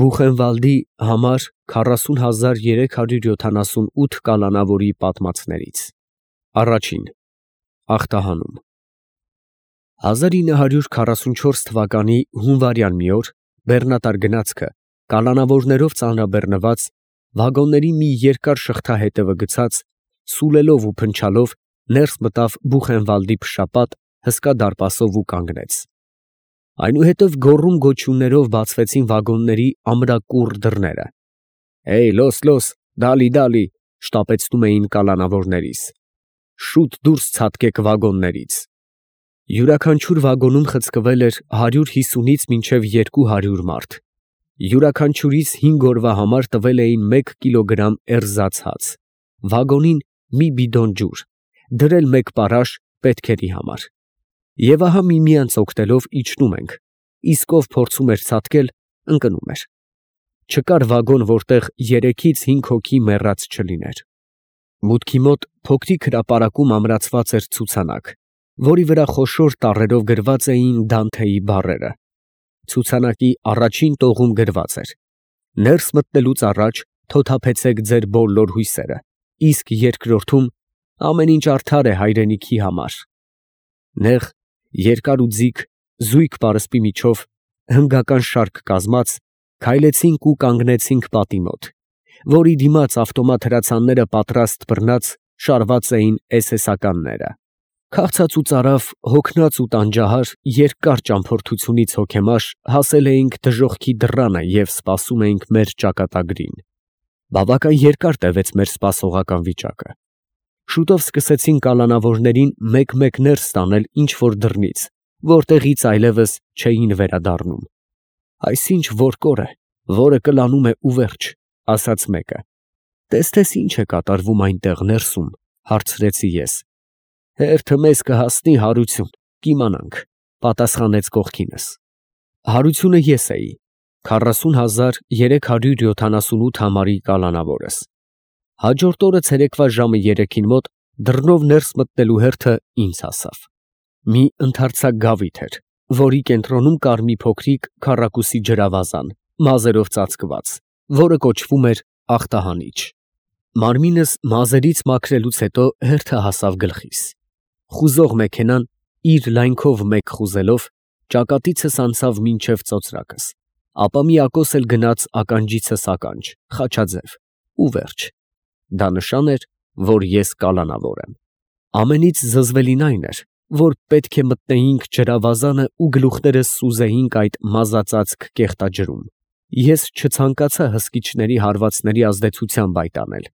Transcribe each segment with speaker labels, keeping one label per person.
Speaker 1: Բուխենվալդի համար 40378 կալանավորի պատմածներից Առաջին ախտահանում 1944 թվականի հունվարյան մի օր բեռնատար գնացքը կալանավորներով ծանրաբեռնված վագոնների մի երկար շղթա հետևը գցած սուլելով ու փնչալով ներս մտավ Բուխենվալդի փշապատ հսկա դարպասով ու կանգնեց։ Այնուհետև գոռում գոչյուններով բացվեցին վագոնների ամրակուռ դռները։ «Էյ, լոս, դալի, շտապեցնում էին կալանավորներից։ Շուտ դուրս ցատկեք վագոններից»։ Յուրաքանչյուր վագոնում խցկվել էր 150-ից մինչև 200 մարդ։ Յուրաքանչյուրից 5 օրվա համար տվել էին 1 կիլոգրամ էրզաց հաց, վագոնին մի բիդոն ջուր, դրել 1 պարաշ պետքերի համար։ Եվ ահա միմյանց օգնելով իջնում ենք, իսկ ով փորձում էր ցատկել, ընկնում էր։ Չկար վագոն, որտեղ 3-ից 5 հոգի մեռած չլիներ։ Մուտքի մոտ փոքրիկ հրապարակում ամրացված էր ցուցանակ, որի վրա խոշոր տառերով գրված էին Դանթեի բառերը։ Ցուցանակի առաջին տողում գրված էր. «Ներս մտնելուց առաջ թոթափեցեք ձեր բոլոր հույսերը, իսկ երկրորդում ամեն ինչ արդար է հայրենիքի համար»։ Նեղ, երկար ու ձիգ, զույգ պարսպի միջով, հնգական շարք կազմած, քայլեցինք ու կանգնեցինք պատի մոտ, որի դիմաց ավտոմատ հրացանները պատրաստ բռնած շարված էին էսեսականները։ Քաղցած ու ծարավ, հոգնած ու տանջահար, երկար ճամփորդությունից հոգեմաշ հասել էինք դժոխքի դռանը և սպասում էինք մեր ճակատագրին։ Բավական երկար տևեց մեր սպասողական վիճակը։ Շուտով սկսեցին կալանավորներին մեկ-մեկ ներս տանել ինչ-որ դռնից, որտեղից այլևս չէին վերադառնում։ «Այս ինչ որ կոր է, որը կլանում է ու վերջ», ասաց մեկը։ «Տես ինչ է կատարվում այնտեղ ներսում», հարցրեցի ես։ «Հերթը մեզ կհասնի հարություն, կիմանանք», պատասխանեց կողքինս։ Հարությունը ես էի, 40378 համարի կալանավորս։ Հաջորդ օրը ցերեկվա ժամը 3-ին մոտ դռնով ներս մտնելու հերթը ինձ հասավ։ Մի ընդարձակ գավիթ էր, որի կենտրոնում կար մի փոքրիկ քառակուսի ջրավազան, մազերով ծածկված, որը կոչվում էր ախտահանիչ։ Մարմինս մազերից մաքրելուց հետո հերթը հասավ գլխիս։ Խուզող մեքենան իր լայնքով մեկ խուզելով ճակատիցս անցավ մինչև ծոծրակս, ապա միակոս էլ գնաց ականջիցս ականջ, խաչաձև, ու վերջ։ Դա նշան էր, որ ես կալանավոր եմ։ Ամենից զզվելին այն էր, որ պետք է մտնեինք ջրավազանը ու գլուխներս սուզեինք այդ մազածածկ կեղտաջրում։ Ես չցանկացա հսկիչների հարվածների ազդեցությամբ այդ անել։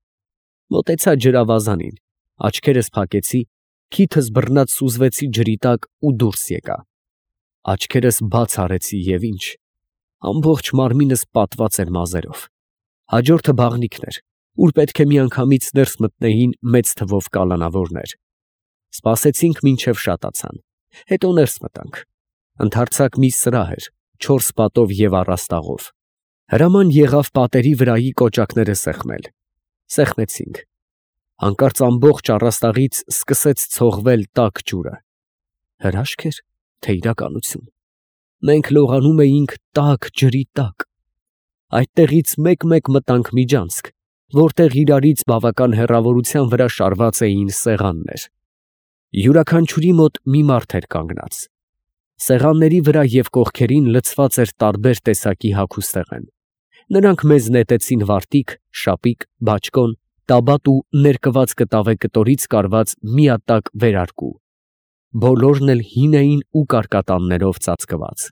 Speaker 1: Մոտեցա ջրավազանին, աչքերս փակեցի, քիթս բռնած սուզվեցի ջրի տակ ու դուրս եկա։ Աչքերս բաց արեցի և ինչ, ամբողջ մարմինս պատված էր մազերով։ Հաջորդը բաղնիքն էր, ուր պետք է միանգամից ներս մտնեին մեծ թվով կալանավորներ։ Սպասեցինք մինչև շատացան, հետո ներս մտանք։ Ընդարձակ մի սրահ էր, 4 պատով և առաստաղով։ Հրաման եղավ պատերի վրայի կոճակները սեղմել։ Սեղմեցինք։ Հանկարծ ամբողջ առաստաղից սկսեց ցողվել տաք ջուրը։ Հրաշք էր, թե իրականություն։ Մենք լողանում էինք տաք ջրի տակ։ Այդտեղից մեկ-մեկ մտանք միջանցք, որտեղ իրարից բավական հեռավորության վրա շարված էին սեղաններ։ Յուրաքանչյուրի մոտ մի մարդ էր կանգնած։ Սեղանների վրա և կողքերին լցված էր տարբեր տեսակի հագուստեղեն։ Նրանք մեզ նետեցին վարտիք, շապիկ, բաճկոն, տաբատ ու ներկված կտավե կտորից կարված միատակ վերարկու։ Բոլորն էլ հին էին ու կարկատաններով ծածկված։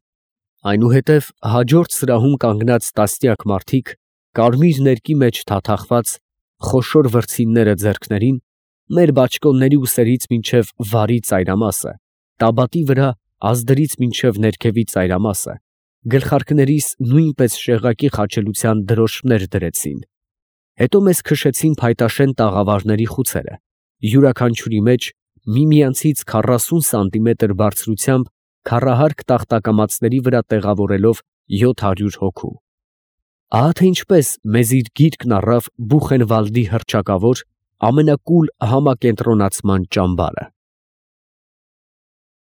Speaker 1: Այնուհետև հաջորդ սրահում կանգնած տասնյակ մարդիկ, կարմիր ներկի մեջ թաթախված, խոշոր վրձինները ձեռքներին, մեր բաճկոնների ուսերից մինչև վարի ծայրամասը, տաբատի վրա ազդրից մինչև ներքևի ծայրամասը, գլխարկներիս նույնպես շեղակի խաչելության դրոշմներ դրեցին։ Հետո մեզ քշեցին փայտաշեն տաղավարների խուցերը, յուրաքանչյուրի մեջ միմյանցից 40 սանտիմետր բարձրությամբ քառահարկ տախտակամածների վրա տեղավորելով 700 հոգու։ Ահա թե ինչպես մեզ իր գիրկն առավ Բուխենվալդի հռչակավոր ամենակուլ համակենտրոնացման ճամբարը։